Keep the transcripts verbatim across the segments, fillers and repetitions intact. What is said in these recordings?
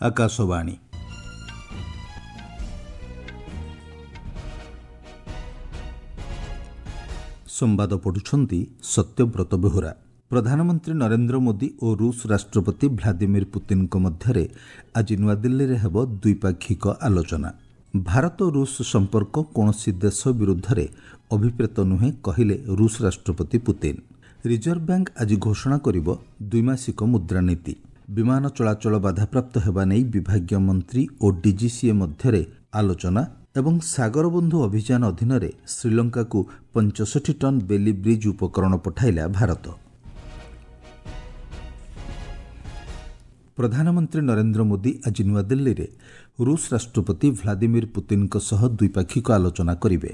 ଆକାଶବାଣୀ। ସମ୍ବାଦ ପଢ଼ୁଛନ୍ତି ସତ୍ୟବ୍ରତ ବେହୁରା। ପ୍ରଧାନମନ୍ତ୍ରୀ ନରେନ୍ଦ୍ର ମୋଦି ଓ ରୁଷ ରାଷ୍ଟ୍ରପତି ଭ୍ଲାଦିମିର ପୁତିନ୍ଙ୍କ ମଧ୍ୟରେ ଆଜି ନୂଆଦିଲ୍ଲୀରେ ହେବ ଦ୍ୱିପାକ୍ଷିକ ଆଲୋଚନା। ଭାରତ ରୁଷ ସମ୍ପର୍କ କୌଣସି ଦେଶ ବିରୁଦ୍ଧରେ ଅଭିପ୍ରେତ ନୁହେଁ, କହିଲେ ରୁଷ ରାଷ୍ଟ୍ରପତି ପୁତିନ୍। ରିଜର୍ଭ ବ୍ୟାଙ୍କ ଆଜି ଘୋଷଣା କରିବ ଦ୍ୱିମାସିକ ମୁଦ୍ରାନୀତି। ବିମାନ ଚଳାଚଳ ବାଧାପ୍ରାପ୍ତ ହେବା ନେଇ ବିଭାଗୀୟ ମନ୍ତ୍ରୀ ଓ ଡିଜିସିଏ ମଧ୍ୟରେ ଆଲୋଚନା। ଏବଂ ସାଗରବନ୍ଧୁ ଅଭିଯାନ ଅଧୀନରେ ଶ୍ରୀଲଙ୍କାକୁ ପଞ୍ଚଷଠି ଟନ୍ ବେଲି ବ୍ରିଜ୍ ଉପକରଣ ପଠାଇଲା ଭାରତ। ପ୍ରଧାନମନ୍ତ୍ରୀ ନରେନ୍ଦ୍ର ମୋଦି ଆଜି ନୂଆଦିଲ୍ଲୀରେ ରୁଷ ରାଷ୍ଟ୍ରପତି ଭ୍ଲାଦିମିର ପୁତିନ୍ଙ୍କ ସହ ଦ୍ୱିପାକ୍ଷିକ ଆଲୋଚନା କରିବେ।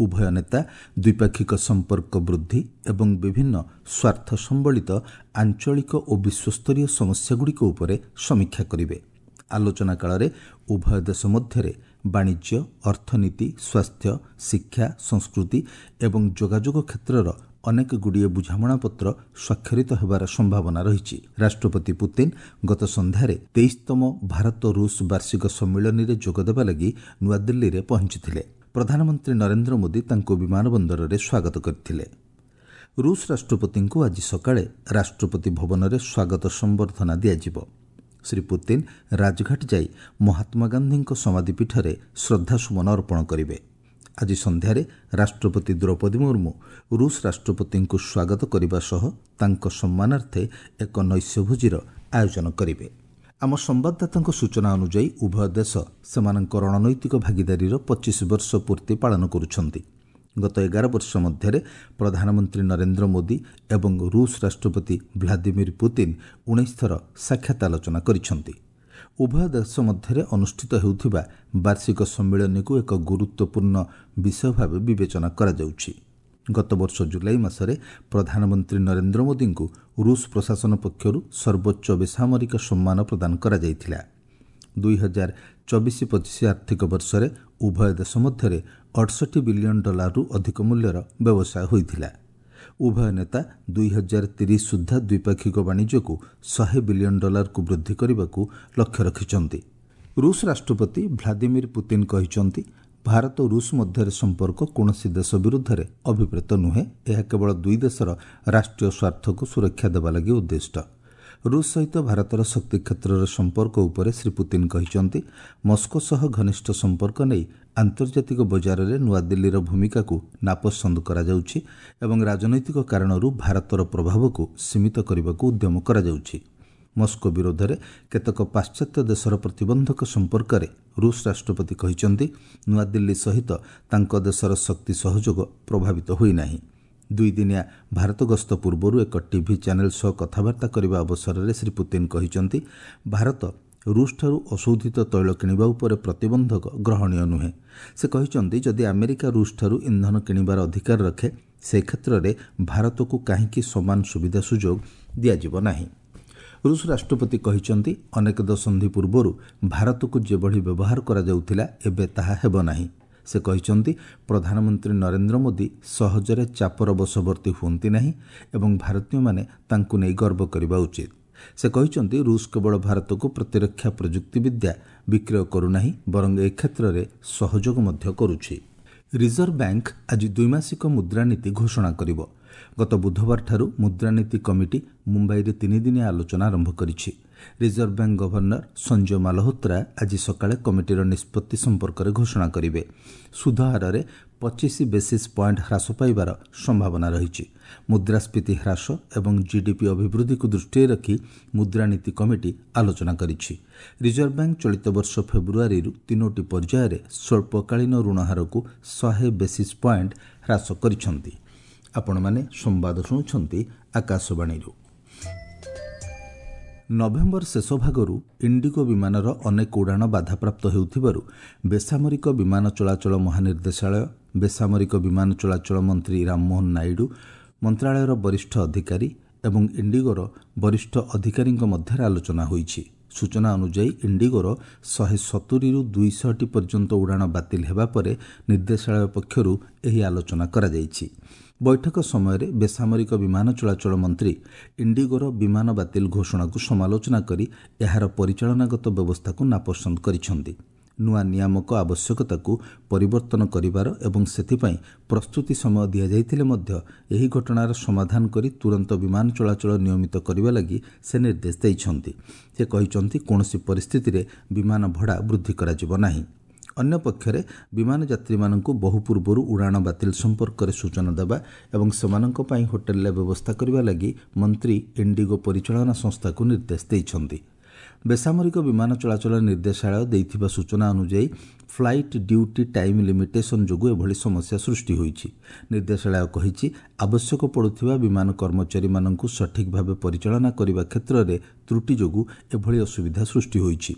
ଉଭୟ ନେତା ଦ୍ୱିପାକ୍ଷିକ ସମ୍ପର୍କ ବୃଦ୍ଧି ଏବଂ ବିଭିନ୍ନ ସ୍ୱାର୍ଥ ସମ୍ବଳିତ ଆଞ୍ଚଳିକ ଓ ବିଶ୍ୱସ୍ତରୀୟ ସମସ୍ୟାଗୁଡ଼ିକ ଉପରେ ସମୀକ୍ଷା କରିବେ। ଆଲୋଚନା କାଳରେ ଉଭୟ ଦେଶ ମଧ୍ୟରେ ବାଣିଜ୍ୟ, ଅର୍ଥନୀତି, ସ୍ୱାସ୍ଥ୍ୟ, ଶିକ୍ଷା, ସଂସ୍କୃତି ଏବଂ ଯୋଗାଯୋଗ କ୍ଷେତ୍ରର ଅନେକଗୁଡ଼ିଏ ବୁଝାମଣାପତ୍ର ସ୍ୱାକ୍ଷରିତ ହେବାର ସମ୍ଭାବନା ରହିଛି। ରାଷ୍ଟ୍ରପତି ପୁତିନ୍ ଗତ ସନ୍ଧ୍ୟାରେ ତେଇଶତମ ଭାରତ ରୁଷ ବାର୍ଷିକ ସମ୍ମିଳନୀରେ ଯୋଗଦେବା ଲାଗି ନୂଆଦିଲ୍ଲୀରେ ପହଞ୍ଚିଥିଲେ। ପ୍ରଧାନମନ୍ତ୍ରୀ ନରେନ୍ଦ୍ର ମୋଦି ତାଙ୍କୁ ବିମାନ ବନ୍ଦରରେ ସ୍ୱାଗତ କରିଥିଲେ। ରୁଷ ରାଷ୍ଟ୍ରପତିଙ୍କୁ ଆଜି ସକାଳେ ରାଷ୍ଟ୍ରପତି ଭବନରେ ସ୍ୱାଗତ ସମ୍ବର୍ଦ୍ଧନା ଦିଆଯିବ। ଶ୍ରୀ ପୁତିନ୍ ରାଜଘାଟ ଯାଇ ମହାତ୍ମା ଗାନ୍ଧୀଙ୍କ ସମାଧିପୀଠରେ ଶ୍ରଦ୍ଧାସୁମନ ଅର୍ପଣ କରିବେ। ଆଜି ସନ୍ଧ୍ୟାରେ ରାଷ୍ଟ୍ରପତି ଦ୍ରୌପଦୀ ମୁର୍ମୁ ରୁଷ ରାଷ୍ଟ୍ରପତିଙ୍କୁ ସ୍ୱାଗତ କରିବା ସହ ତାଙ୍କ ସମ୍ମାନାର୍ଥେ ଏକ ନୈଶ୍ୟଭୋଜିର ଆୟୋଜନ କରିବେ। ଆମ ସମ୍ବାଦଦାତାଙ୍କ ସୂଚନା ଅନୁଯାୟୀ ଉଭୟ ଦେଶ ସେମାନଙ୍କ ରଣନୈତିକ ଭାଗିଦାରୀର ପଚିଶ ବର୍ଷ ପୂର୍ତ୍ତି ପାଳନ କରୁଛନ୍ତି। ଗତ ଏଗାର ବର୍ଷ ମଧ୍ୟରେ ପ୍ରଧାନମନ୍ତ୍ରୀ ନରେନ୍ଦ୍ର ମୋଦି ଏବଂ ରୁଷ ରାଷ୍ଟ୍ରପତି ଭ୍ଲାଦିମିର ପୁତିନ୍ ଉଣେଇଶ ଥର ସାକ୍ଷାତ ଆଲୋଚନା କରିଛନ୍ତି। ଉଭୟ ଦେଶ ମଧ୍ୟରେ ଅନୁଷ୍ଠିତ ହେଉଥିବା ବାର୍ଷିକ ସମ୍ମିଳନୀକୁ ଏକ ଗୁରୁତ୍ୱପୂର୍ଣ୍ଣ ବିଷୟ ଭାବେ ବିବେଚନା କରାଯାଉଛି। ଗତବର୍ଷ ଜୁଲାଇ ମାସରେ ପ୍ରଧାନମନ୍ତ୍ରୀ ନରେନ୍ଦ୍ର ମୋଦିଙ୍କୁ ରୁଷ ପ୍ରଶାସନ ପକ୍ଷରୁ ସର୍ବୋଚ୍ଚ ବେସାମରିକ ସମ୍ମାନ ପ୍ରଦାନ କରାଯାଇଥିଲା। ଦୁଇ ହଜାର ଚବିଶ ପଚିଶ ଆର୍ଥିକ ବର୍ଷରେ ଉଭୟ ଦେଶ ମଧ୍ୟରେ ଅଠଷଠି ବିଲିୟନ ଡଲାରରୁ ଅଧିକ ମୂଲ୍ୟର ବ୍ୟବସାୟ ହୋଇଥିଲା। ଉଭୟ ନେତା ଦୁଇ ହଜାର ତିରିଶ ସୁଦ୍ଧା ଦ୍ୱିପାକ୍ଷିକ ବାଣିଜ୍ୟକୁ ଶହେ ବିଲିୟନ ଡଲାରକୁ ବୃଦ୍ଧି କରିବାକୁ ଲକ୍ଷ୍ୟ ରଖିଛନ୍ତି। ରୁଷ ରାଷ୍ଟ୍ରପତି ଭ୍ଲାଦିମିର ପୁତିନ୍ କହିଛନ୍ତି, ଭାରତ ରୁଷ ମଧ୍ୟରେ ସମ୍ପର୍କ କୌଣସି ଦେଶ ବିରୁଦ୍ଧରେ ଅଭିପ୍ରେତ ନୁହେଁ, ଏହା କେବଳ ଦୁଇ ଦେଶର ରାଷ୍ଟ୍ରୀୟ ସ୍ୱାର୍ଥକୁ ସୁରକ୍ଷା ଦେବା ଲାଗି ଉଦ୍ଦିଷ୍ଟ। ରୁଷ ସହିତ ଭାରତର ଶକ୍ତି କ୍ଷେତ୍ରର ସମ୍ପର୍କ ଉପରେ ଶ୍ରୀ ପୁତିନ୍ କହିଛନ୍ତି, ମସ୍କୋ ସହ ଘନିଷ୍ଠ ସମ୍ପର୍କ ନେଇ ଆନ୍ତର୍ଜାତିକ ବଜାରରେ ନୂଆଦିଲ୍ଲୀର ଭୂମିକାକୁ ନାପସନ୍ଦ କରାଯାଉଛି ଏବଂ ରାଜନୈତିକ କାରଣରୁ ଭାରତର ପ୍ରଭାବକୁ ସୀମିତ କରିବାକୁ ଉଦ୍ୟମ କରାଯାଉଛି। ମସ୍କୋ ବିରୋଧରେ କେତେକ ପାଶ୍ଚାତ୍ୟ ଦେଶର ପ୍ରତିବନ୍ଧକ ସମ୍ପର୍କରେ ରୁଷ ରାଷ୍ଟ୍ରପତି କହିଛନ୍ତି, ନୂଆଦିଲ୍ଲୀ ସହିତ ତାଙ୍କ ଦେଶର ଶକ୍ତି ସହଯୋଗ ପ୍ରଭାବିତ ହୋଇନାହିଁ। ଦୁଇଦିନିଆ ଭାରତ ଗସ୍ତ ପୂର୍ବରୁ ଏକ ଟିଭି ଚ୍ୟାନେଲ ସହ କଥାବାର୍ତ୍ତା କରିବା ଅବସରରେ ଶ୍ରୀ ପୁତିନ୍ କହିଛନ୍ତି, ଭାରତ ରୁଷଠାରୁ ଅଶୋଧିତ ତୈଳ କିଣିବା ଉପରେ ପ୍ରତିବନ୍ଧକ ଗ୍ରହଣୀୟ ନୁହେଁ। ସେ କହିଛନ୍ତି, ଯଦି ଆମେରିକା ରୁଷଠାରୁ ଇନ୍ଧନ କିଣିବାର ଅଧିକାର ରଖେ, ସେ କ୍ଷେତ୍ରରେ ଭାରତକୁ କାହିଁକି ସମାନ ସୁବିଧା ସୁଯୋଗ ଦିଆଯିବ ନାହିଁ? ରୁଷ ରାଷ୍ଟ୍ରପତି କହିଛନ୍ତି, ଅନେକ ଦଶନ୍ଧି ପୂର୍ବରୁ ଭାରତକୁ ଯେଭଳି ବ୍ୟବହାର କରାଯାଉଥିଲା ଏବେ ତାହା ହେବ ନାହିଁ। ସେ କହିଛନ୍ତି, ପ୍ରଧାନମନ୍ତ୍ରୀ ନରେନ୍ଦ୍ର ମୋଦି ସହଜରେ ଚାପର ବଶବର୍ତ୍ତୀ ହୁଅନ୍ତି ନାହିଁ ଏବଂ ଭାରତୀୟମାନେ ତାଙ୍କୁ ନେଇ ଗର୍ବ କରିବା ଉଚିତ। ସେ କହିଛନ୍ତି, ରୁଷ କେବଳ ଭାରତକୁ ପ୍ରତିରକ୍ଷା ପ୍ରଯୁକ୍ତିବିଦ୍ୟା ବିକ୍ରୟ କରୁନାହିଁ, ବରଂ ଏ କ୍ଷେତ୍ରରେ ସହଯୋଗ ମଧ୍ୟ କରୁଛି। ରିଜର୍ଭ ବ୍ୟାଙ୍କ ଆଜି ଦ୍ୱିମାସିକ ମୁଦ୍ରାନୀତି ଘୋଷଣା କରିବ। ଗତ ବୁଧବାରଠାରୁ ମୁଦ୍ରାନୀତି କମିଟି ମୁମ୍ବାଇରେ ତିନିଦିନିଆ ଆଲୋଚନା ଆରମ୍ଭ କରିଛି। Reserve bank governor Sanjay Malhotra ଆଜି ସକାଳେ କମିଟିର ନିଷ୍ପତ୍ତି ସମ୍ପର୍କରେ ଘୋଷଣା କରିବେ। ସୁଧ ହାରରେ ପଚିଶ ବେସିସ୍ ପଏଣ୍ଟ ହ୍ରାସ ପାଇବାର ସମ୍ଭାବନା ରହିଛି। ମୁଦ୍ରାସ୍ଫୀତି ହ୍ରାସ ଏବଂ ଜିଡିପି ଅଭିବୃଦ୍ଧିକୁ ଦୃଷ୍ଟିରେ ରଖି ମୁଦ୍ରାନୀତି କମିଟି ଆଲୋଚନା କରିଛି। ରିଜର୍ଭ ବ୍ୟାଙ୍କ ଚଳିତ ବର୍ଷ ଫେବୃଆରୀରୁ ତିନୋଟି ପର୍ଯ୍ୟାୟରେ ସ୍ୱଳ୍ପକାଳୀନ ଋଣ ହାରକୁ ଶହେ ବେସିସ୍ ପଏଣ୍ଟ ହ୍ରାସ କରିଛନ୍ତି। ଆପଣମାନେ ସମ୍ବାଦ ଶୁଣୁଛନ୍ତି ଆକାଶବାଣୀରୁ। ନଭେମ୍ବର ଶେଷ ଭାଗରୁ ଇଣ୍ଡିଗୋ ବିମାନର ଅନେକ ଉଡ଼ାଣ ବାଧାପ୍ରାପ୍ତ ହେଉଥିବାରୁ ବେସାମରିକ ବିମାନ ଚଳାଚଳ ମହାନିର୍ଦ୍ଦେଶାଳୟ, ବେସାମରିକ ବିମାନ ଚଳାଚଳ ମନ୍ତ୍ରୀ ରାମମୋହନ ନାଇଡୁ, ମନ୍ତ୍ରାଳୟର ବରିଷ୍ଠ ଅଧିକାରୀ ଏବଂ ଇଣ୍ଡିଗୋର ବରିଷ୍ଠ ଅଧିକାରୀଙ୍କ ମଧ୍ୟରେ ଆଲୋଚନା ହୋଇଛି। ସୂଚନା ଅନୁଯାୟୀ ଇଣ୍ଡିଗୋର ଶହେ ସତୁରିରୁ ଦୁଇଶହଟି ପର୍ଯ୍ୟନ୍ତ ଉଡ଼ାଣ ବାତିଲ ହେବା ପରେ ନିର୍ଦ୍ଦେଶାଳୟ ପକ୍ଷରୁ ଏହି ଆଲୋଚନା କରାଯାଇଛି। ବୈଠକ ସମୟରେ ବେସାମରିକ ବିମାନ ଚଳାଚଳ ମନ୍ତ୍ରୀ ଇଣ୍ଡିଗୋର ବିମାନ ବାତିଲ ଘୋଷଣାକୁ ସମାଲୋଚନା କରି ଏହାର ପରିଚାଳନାଗତ ବ୍ୟବସ୍ଥାକୁ ନାପସନ୍ଦ କରିଛନ୍ତି। ନୂଆ ନିୟାମକ ଆବଶ୍ୟକତାକୁ ପରିବର୍ତ୍ତନ କରିବାର ଏବଂ ସେଥିପାଇଁ ପ୍ରସ୍ତୁତି ସମୟ ଦିଆଯାଇଥିଲେ ମଧ୍ୟ ଏହି ଘଟଣାର ସମାଧାନ କରି ତୁରନ୍ତ ବିମାନ ଚଳାଚଳ ନିୟମିତ କରିବା ଲାଗି ସେ ନିର୍ଦ୍ଦେଶ ଦେଇଛନ୍ତି। ସେ କହିଛନ୍ତି, କୌଣସି ପରିସ୍ଥିତିରେ ବିମାନ ଭଡ଼ା ବୃଦ୍ଧି କରାଯିବ ନାହିଁ। ଅନ୍ୟପକ୍ଷରେ ବିମାନ ଯାତ୍ରୀମାନଙ୍କୁ ବହୁ ପୂର୍ବରୁ ଉଡ଼ାଣ ବାତିଲ ସମ୍ପର୍କରେ ସୂଚନା ଦେବା ଏବଂ ସେମାନଙ୍କ ପାଇଁ ହୋଟେଲରେ ବ୍ୟବସ୍ଥା କରିବା ଲାଗି ମନ୍ତ୍ରୀ ଇଣ୍ଡିଗୋ ପରିଚାଳନା ସଂସ୍ଥାକୁ ନିର୍ଦ୍ଦେଶ ଦେଇଛନ୍ତି। ବେସାମରିକ ବିମାନ ଚଳାଚଳ ନିର୍ଦ୍ଦେଶାଳୟ ଦେଇଥିବା ସୂଚନା ଅନୁଯାୟୀ ଫ୍ଲାଇଟ୍ ଡ୍ୟୁଟି ଟାଇମ୍ ଲିମିଟେସନ୍ ଯୋଗୁଁ ଏଭଳି ସମସ୍ୟା ସୃଷ୍ଟି ହୋଇଛି। ନିର୍ଦ୍ଦେଶାଳୟ କହିଛି, ଆବଶ୍ୟକ ପଡ଼ୁଥିବା ବିମାନ କର୍ମଚାରୀମାନଙ୍କୁ ସଠିକ୍ ଭାବେ ପରିଚାଳନା କରିବା କ୍ଷେତ୍ରରେ ତ୍ରୁଟି ଯୋଗୁଁ ଏଭଳି ଅସୁବିଧା ସୃଷ୍ଟି ହୋଇଛି।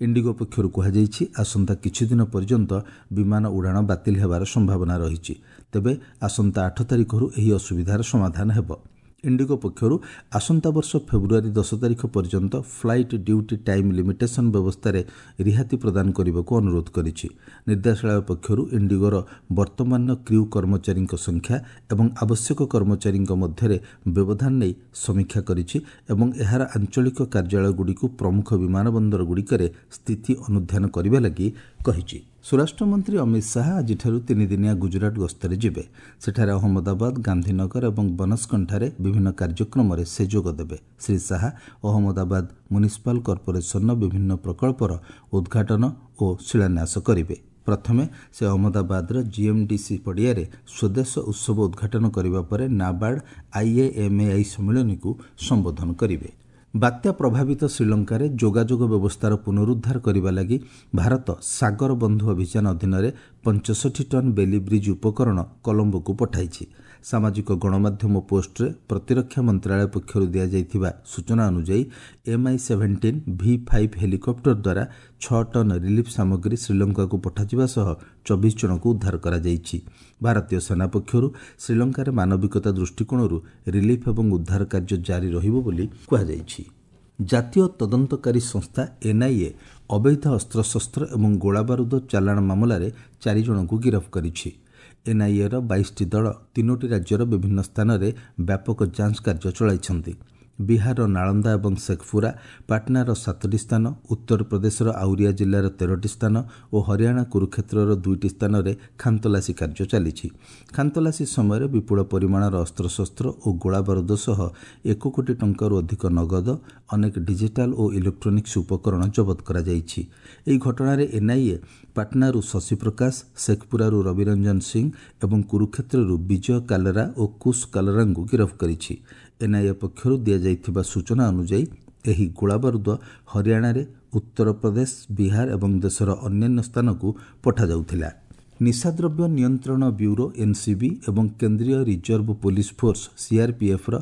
ଇଣ୍ଡିଗୋ ପକ୍ଷରୁ କୁହାଯାଇଛି, ଆସନ୍ତା କିଛିଦିନ ପର୍ଯ୍ୟନ୍ତ ବିମାନ ଉଡ଼ାଣ ବାତିଲ ହେବାର ସମ୍ଭାବନା ରହିଛି। ତେବେ ଆସନ୍ତା ଆଠ ତାରିଖରୁ ଏହି ଅସୁବିଧାର ସମାଧାନ ହେବ। ଇଣ୍ଡିଗୋ ପକ୍ଷରୁ ଆସନ୍ତା ବର୍ଷ ଫେବୃଆରୀ ଦଶ ତାରିଖ ପର୍ଯ୍ୟନ୍ତ ଫ୍ଲାଇଟ୍ ଡ୍ୟୁଟି ଟାଇମ୍ ଲିମିଟେସନ୍ ବ୍ୟବସ୍ଥାରେ ରିହାତି ପ୍ରଦାନ କରିବାକୁ ଅନୁରୋଧ କରିଛି। ନିର୍ଦ୍ଦେଶାଳୟ ପକ୍ଷରୁ ଇଣ୍ଡିଗୋର ବର୍ତ୍ତମାନର କ୍ରିଉ କର୍ମଚାରୀଙ୍କ ସଂଖ୍ୟା ଏବଂ ଆବଶ୍ୟକ କର୍ମଚାରୀଙ୍କ ମଧ୍ୟରେ ବ୍ୟବଧାନ ନେଇ ସମୀକ୍ଷା କରିଛି ଏବଂ ଏହାର ଆଞ୍ଚଳିକ କାର୍ଯ୍ୟାଳୟଗୁଡ଼ିକୁ ପ୍ରମୁଖ ବିମାନ ବନ୍ଦରଗୁଡ଼ିକରେ ସ୍ଥିତି ଅନୁଧ୍ୟାନ କରିବା ଲାଗି କହିଛି। ସ୍ୱରାଷ୍ଟ୍ରମନ୍ତ୍ରୀ ଅମିତ ଶାହା ଆଜିଠାରୁ ତିନିଦିନିଆ ଗୁଜରାଟ ଗସ୍ତରେ ଯିବେ। ସେଠାରେ ଅହମ୍ମଦାବାଦ, ଗାନ୍ଧୀନଗର ଏବଂ ବନସ୍କଣ୍ଠାରେ ବିଭିନ୍ନ କାର୍ଯ୍ୟକ୍ରମରେ ସେ ଯୋଗ ଦେବେ। ଶ୍ରୀ ଶାହା ଅହମ୍ମଦାବାଦ ମ୍ୟୁନିସିପାଲ କର୍ପୋରେସନର ବିଭିନ୍ନ ପ୍ରକଳ୍ପର ଉଦ୍ଘାଟନ ଓ ଶିଳାନ୍ୟାସ କରିବେ। ପ୍ରଥମେ ସେ ଅହମ୍ମଦାବାଦର ଜିଏମ୍ଡିସି ପଡ଼ିଆରେ ସ୍ୱଦେଶ ଉତ୍ସବ ଉଦ୍ଘାଟନ କରିବା ପରେ ନାବାର୍ଡ ଆଇଏଏମ୍ଏଆଇ ସମ୍ମିଳନୀକୁ ସମ୍ବୋଧନ କରିବେ। ବାତ୍ୟା ପ୍ରଭାବିତ ଶ୍ରୀଲଙ୍କାରେ ଯୋଗାଯୋଗ ବ୍ୟବସ୍ଥାର ପୁନରୁଦ୍ଧାର କରିବା ଲାଗି ଭାରତ ସାଗର ବନ୍ଧୁ ଅଭିଯାନ ଅଧୀନରେ ପଞ୍ଚଷଠି ଟନ୍ ବେଲି ବ୍ରିଜ୍ ଉପକରଣ କଲମ୍ବୋକୁ ପଠାଇଛି। ସାମାଜିକ ଗଣମାଧ୍ୟମ ପୋଷ୍ଟରେ ପ୍ରତିରକ୍ଷା ମନ୍ତ୍ରାଳୟ ପକ୍ଷରୁ ଦିଆଯାଇଥିବା ସୂଚନା ଅନୁଯାୟୀ MI seventeen V five helicopter ଦ୍ୱାରା ଛଅ ଟନ୍ ରିଲିଫ୍ ସାମଗ୍ରୀ ଶ୍ରୀଲଙ୍କାକୁ ପଠାଯିବା ସହ ଚବିଶ ଜଣଙ୍କୁ ଉଦ୍ଧାର କରାଯାଇଛି। ଭାରତୀୟ ସେନା ପକ୍ଷରୁ ଶ୍ରୀଲଙ୍କାରେ ମାନବିକତା ଦୃଷ୍ଟିକୋଣରୁ ରିଲିଫ୍ ଏବଂ ଉଦ୍ଧାର କାର୍ଯ୍ୟ ଜାରି ରହିବ ବୋଲି କୁହାଯାଇଛି। ଜାତୀୟ ତଦନ୍ତକାରୀ ସଂସ୍ଥା ଏନ୍ଆଇଏ ଅବୈଧ ଅସ୍ତ୍ରଶସ୍ତ୍ର ଏବଂ ଗୋଳାବାରୁଦ ଚାଲାଣ ମାମଲାରେ ଚାରି ଜଣଙ୍କୁ ଗିରଫ କରିଛି। ଏନ୍ଆଇଏର ବାଇଶଟି ଦଳ ତିନୋଟି ରାଜ୍ୟର ବିଭିନ୍ନ ସ୍ଥାନରେ ବ୍ୟାପକ ଯାଞ୍ଚ କାର୍ଯ୍ୟ ଚଳାଇଛନ୍ତି। ବିହାରର ନାଳନ୍ଦା ଏବଂ ଶେଖପୁରା, ପାଟନାର ସାତଟି ସ୍ଥାନ, ଉତ୍ତରପ୍ରଦେଶର ଆଉରିଆ ଜିଲ୍ଲାର ତେରଟି ସ୍ଥାନ ଓ ହରିୟାଣା କୁରୁକ୍ଷେତ୍ରର ଦୁଇଟି ସ୍ଥାନରେ ଖାନତଲାସୀ କାର୍ଯ୍ୟ ଚାଲିଛି। ଖାନତଲାସୀ ସମୟରେ ବିପୁଳ ପରିମାଣର ଅସ୍ତ୍ରଶସ୍ତ୍ର ଓ ଗୋଳାବାରୁଦ ସହ ଏକ କୋଟି ଟଙ୍କାରୁ ଅଧିକ ନଗଦ, ଅନେକ ଡିଜିଟାଲ ଓ ଇଲେକ୍ଟ୍ରୋନିକ୍ସ ଉପକରଣ ଜବତ କରାଯାଇଛି। ଏହି ଘଟଣାରେ ଏନ୍ଆଇଏ ପାଟନାରୁ ଶଶିପ୍ରକାଶ, ଶେଖପୁରାରୁ ରବିରଞ୍ଜନ ସିଂ ଏବଂ କୁରୁକ୍ଷେତ୍ରରୁ ବିଜୟ କାଲରା ଓ କୁଶ କାଲରାଙ୍କୁ ଗିରଫ କରିଛି। ଏନ୍ଆଇଏ ପକ୍ଷରୁ ଦିଆଯାଇଥିବା ସୂଚନା ଅନୁଯାୟୀ ଏହି ଗୋଳାବାରୁଦ ହରିୟାଣାରେ, ଉତ୍ତରପ୍ରଦେଶ, ବିହାର ଏବଂ ଦେଶର ଅନ୍ୟାନ୍ୟ ସ୍ଥାନକୁ ପଠାଯାଉଥିଲା। ନିଶାଦ୍ରବ୍ୟ ନିୟନ୍ତ୍ରଣ ବ୍ୟୁରୋ ଏନ୍ସିବି ଏବଂ କେନ୍ଦ୍ରୀୟ ରିଜର୍ଭ ପୋଲିସ ଫୋର୍ସ ସିଆର୍ପିଏଫ୍ର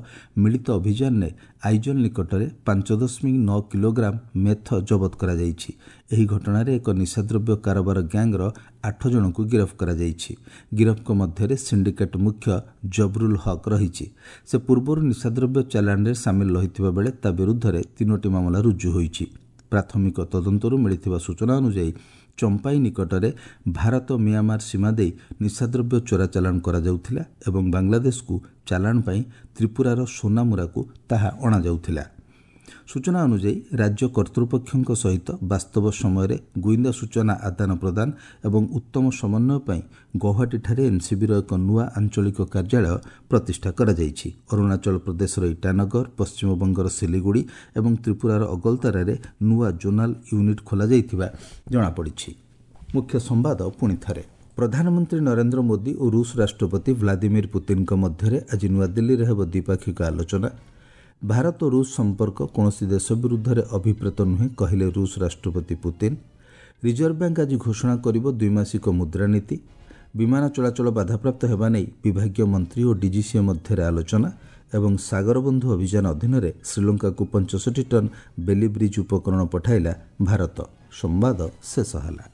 ମିଳିତ ଅଭିଯାନରେ ଆଇଜଲ୍ ନିକଟରେ ପାଞ୍ଚ ଦଶମିକ ନଅ କିଲୋଗ୍ରାମ ମେଥ ଜବତ କରାଯାଇଛି। ଏହି ଘଟଣାରେ ଏକ ନିଶାଦ୍ରବ୍ୟ କାରବାର ଗ୍ୟାଙ୍ଗର ଆଠ ଜଣଙ୍କୁ ଗିରଫ କରାଯାଇଛି। ଗିରଫଙ୍କ ମଧ୍ୟରେ ସିଣ୍ଡିକେଟ୍ ମୁଖ୍ୟ ଜବରୁଲ ହକ୍ ରହିଛି। ସେ ପୂର୍ବରୁ ନିଶାଦ୍ରବ୍ୟ ଚାଲାଣରେ ସାମିଲ ରହିଥିବା ବେଳେ ତା ବିରୁଦ୍ଧରେ ତିନୋଟି ମାମଲା ରୁଜୁ ହୋଇଛି। ପ୍ରାଥମିକ ତଦନ୍ତରୁ ମିଳିଥିବା ସୂଚନା ଅନୁଯାୟୀ ଚମ୍ପାଇ ନିକଟରେ ଭାରତ ମିଆଁମାର ସୀମା ଦେଇ ନିଶାଦ୍ରବ୍ୟ ଚୋରା ଚାଲାଣ କରାଯାଉଥିଲା ଏବଂ ବାଂଲାଦେଶକୁ ଚାଲାଣ ପାଇଁ ତ୍ରିପୁରାର ସୋନାମୁରାକୁ ତାହା ଅଣାଯାଉଥିଲା। ସୂଚନା ଅନୁଯାୟୀ ରାଜ୍ୟ କର୍ତ୍ତୃପକ୍ଷଙ୍କ ସହିତ ବାସ୍ତବ ସମୟରେ ଗୁଇନ୍ଦା ସୂଚନା ଆଦାନ ପ୍ରଦାନ ଏବଂ ଉତ୍ତମ ସମନ୍ୱୟ ପାଇଁ ଗୌହାଟୀଠାରେ ଏନ୍ସିବିର ଏକ ନୂଆ ଆଞ୍ଚଳିକ କାର୍ଯ୍ୟାଳୟ ପ୍ରତିଷ୍ଠା କରାଯାଇଛି। ଅରୁଣାଚଳ ପ୍ରଦେଶର ଇଟାନଗର, ପଶ୍ଚିମବଙ୍ଗର ସିଲିଗୁଡ଼ି ଏବଂ ତ୍ରିପୁରାର ଅଗଲତାରାରେ ନୂଆ ଜୋନାଲ ୟୁନିଟ୍ ଖୋଲାଯାଇଥିବା ଜଣାପଡ଼ିଛି। ମୁଖ୍ୟ ସମ୍ବାଦ ପୁଣି ଥରେ। ପ୍ରଧାନମନ୍ତ୍ରୀ ନରେନ୍ଦ୍ର ମୋଦି ଓ ରୁଷ ରାଷ୍ଟ୍ରପତି ଭ୍ଲାଦିମିର ପୁତିନଙ୍କ ମଧ୍ୟରେ ଆଜି ନୂଆଦିଲ୍ଲୀରେ ହେବ ଦ୍ୱିପାକ୍ଷିକ ଆଲୋଚନା। ଭାରତ ରୁଷ ସମ୍ପର୍କ କୌଣସି ଦେଶ ବିରୁଦ୍ଧରେ ଅଭିପ୍ରେତ ନୁହେଁ, କହିଲେ ରୁଷ ରାଷ୍ଟ୍ରପତି ପୁତିନ। ରିଜର୍ଭ ବ୍ୟାଙ୍କ ଆଜି ଘୋଷଣା କରିବ ଦ୍ୱିମାସିକ ମୁଦ୍ରାନୀତି। ବିମାନ ଚଳାଚଳ ବାଧାପ୍ରାପ୍ତ ହେବା ନେଇ ବିଭାଗୀୟ ମନ୍ତ୍ରୀ ଓ ଡିଜିସିଏ ମଧ୍ୟରେ ଆଲୋଚନା। ଏବଂ ସାଗରବନ୍ଧୁ ଅଭିଯାନ ଅଧୀନରେ ଶ୍ରୀଲଙ୍କାକୁ ପଞ୍ଚଷଠି ଟନ୍ ବେଲି ବ୍ରିଜ୍ ଉପକରଣ ପଠାଇଲା ଭାରତ। ସମ୍ବାଦ ଶେଷ ହେଲା।